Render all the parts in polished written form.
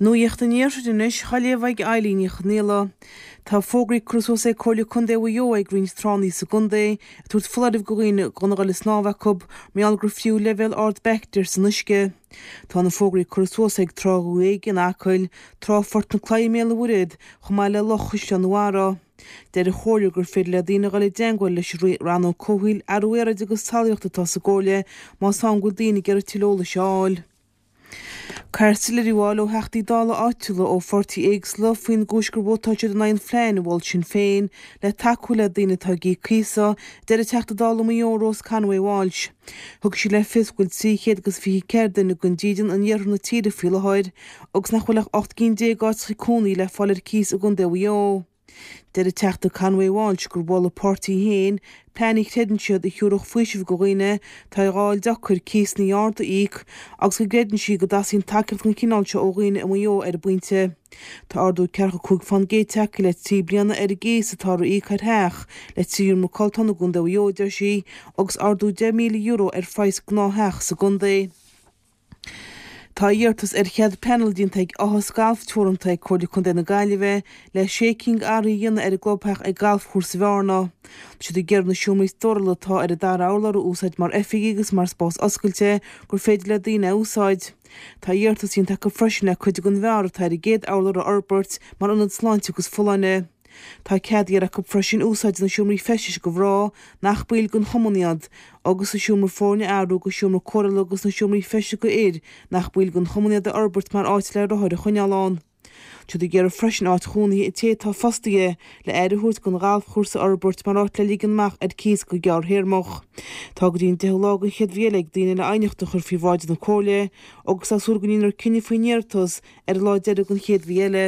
Nuacht an Iarthair anois, á léamh ag Eilín Ní Chonaola. Tá fógraí curtha suas ag Comhairle Contae Mhaigh Eo ag roinnt tránna sa gcontae, ag tabhairt foláireamh go dhaoine gan a dhul ag snámh acu, mar gheall gur fiú leibhéal ard baictéar san uisce. Tá na fógraí curtha suas ag Trá Dhumha Éige in Acaill, Trá Phort na Claí i mBéal an Mhuirthead, chomh maith le Loch Chaisleán na Bharra. Deir an Chomhairle gur féidir le daoine a dhul i dteangmháil leis an Rannóg Comhshaoil, Athrú Aeráide agus Talmhaíochta atá sa gComhairle más ann go bhfuil daoine ag iarraidh tuilleadh eolais a fháil. Caithfear soiléiriú a fháil ó Theachtaí Dála áitiúla ó pháirtithe éagsúla faoin gcúis gur vótáil siad in aghaidh an phlean a mhol Sinn Féin le tacú le daoine atá ag íoc cíosa, a deir an Teachta Dála Mhaigh Eo Rose Conway Walsh. Thug sí le fios go bhfuil 324 duine gan dídean in iarthar na tíre faoi láthair agus nach bhfuil ach 18 gcinn áiteacha cónaí le fáil ar cíos i gContae Mhaigh Eo. Deir an Teachta Conway Walsh gur mhol a páirtí féin plean a chreideann siad a thiúrfadh faoiseamh go dhaoine atá á fháil deacair cíosanna arda a íoc agus go gcreideann sí go dteastaíonn tacaíocht den chineál seo ó dhaoine i Maigh Eo ar an bpointe. Tá ardú ceathracha 5% tagtha le 3 bliana ar an gcíos atáthar a íoc ar theach le 3 sheomra codlata i gContae Mhaigh Eo, a deir sí, agus ardú €10,000 ar phraghas gnáth-theach sa gcontae. Tá iarratas ar chead pleanála déanta ag Áthas Galf Teoranta ag Comhairle Contae na Gaillimhe le sé cinn d'athruithe a dhéanamh ar an gclubtheach ag Galfchúrsa Bhearna. Tá siad ag iarraidh na seomraí stórála atá ar an dara urlár a úsáid mar oifigí agus mar spás oscailte gur féidir le daoine a úsáid. Tá iarratas déanta acu freisin le cuid den bheár atá ar an gcéad urlár a fhorbairt mar ionad sláinte agus folláine. Tá cead iarrtha acu freisin úsáid na seomraí feistis go mná, nach baill den chumann iad, agus an seomra foirne a athrú go seomra cóireála agus na seomraí feistis go fhir, nach baill den chumann iad, a fhorbairt mar áit le rothair a choinneáil ann. Tá siad ag iarraidh freisin áit chónaithe an té atá fostaithe le aire a thabhairt don ghalfchúrsa a fhorbairt mar áit le ligean amach ar cíos go gearrthéarmach. Tá go dtí an 10ú lá den chéad mhí eile ag daoine le aighneacht a chur faoi bhráid na Comhairle agus tá súil go ndéanfar cinneadh faoin iarratas ar an lá deiridh den chéad mhí eile.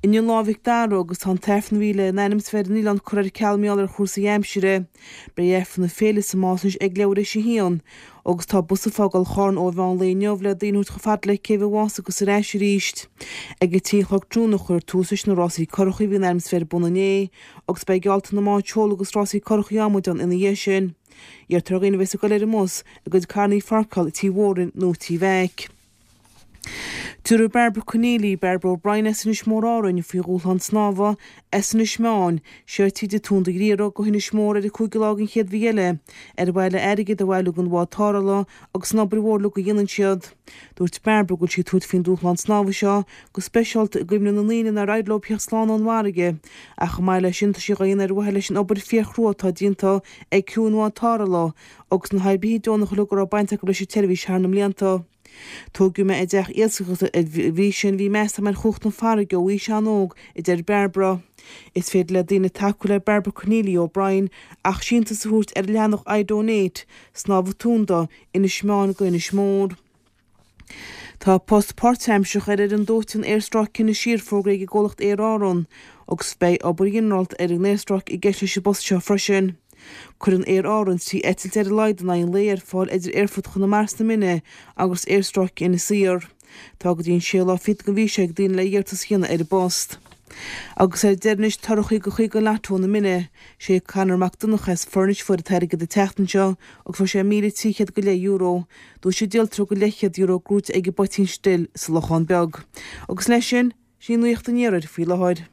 Inniu Lá Mhic Dara agus tá an tAifreann a bhí lena ainm is a bheith ar an oileán curtha ar ceal mar gheall ar chúrsaí aimsire. Beidh Aifreann na féile sa Más anois ag leathuair théis a haon agus tá bus ag fágáil Charn ó mheán lae inniu le daoine a thabhairt chomh fada le Céibh an Mhása agus ar ais arís. Ag a trí a chlog tráthnóna a chuirfear tús leis na rásaí curachaí a bhí in ainm is a bheith ar bun inné agus beidh geallta na mbád seoil agus rásaí curachaí adhmaid ann ina dhiaidh sin. Iarrtar ar dhaoine a bheas ag dul ar an mbus a gcuid carrannaí a pháirceáil i Tí Mhórain nó Tí Mheaic. Tabharfaidh Barbara Conneely, Barbara O'Brien as Inis Mór Árainn, faoi dhúshlán snámha as Inis Meáin, siar tríd an Tonn de Ghriaire go hInis Mór ar an 5ú lá den chéad mhí eile, ar mhaithe le airgead a bhailiú don bhád tarrthála agus an obair mhór uilig a dhéanann siad. Dúirt Barbara go bhfuil sí ag tabhairt faoin dúshlán snámha seo go speisialta i gcuimhne na ndaoine nár éirigh leo theacht slán ón bhfarraige ach chomh maith leis sin tá sí dhá dhéanamh ar mhaithe leis an obair fíorchrua atá déanta ag criú an bhád tarrthála agus na hoibrithe deonacha uilig a raibh baint acu leis an tseirbhís thar na mblianta. Tógadh mé i dteach iascaireachta dá bhrí sin bhí meas agam ar chumhacht na farraige ó aois an-óg, a deir Barbara. Is féidir le daoine tacú le Barbara Conneely O'Brien ach síntiús a thabhairt ar an leathanach iDonate, Snámh Tonnda, Inis Meáin go Inis Mór. Tá post páirtaimseartha ar fhoireann dóiteáin aerstráice Inis Oírr fógraithe ag an gcomhlacht Aer Árann agus beidh obair ghinearálta ar an aerstráice i gceist leis an bpost seo freisin. Cuireann Aer Árann 3 eitilt ar a laghad in aghaidh an lae ar fáil idir Aerfort Chonamara sna Mine agus aerstráice Inis Oírr. Tá go dtí an séú lá fichead den mhí seo ag daoine le iarratas a dhéanamh ar an bpost. Agus ar deireadh anois torthaí go chuig an Lotto na Mine. Sé Conor Mac Donncha as Furnish a fuair an t-airgead an tseachtain seo agus fuair sé €1,300 go leith euro. Duais an díoltóra go leathchéad euro gnóite ag an bPoitín Stil sa Lochán Beag. Agus leis sin, sin í nuacht an iarthair faoi láthair.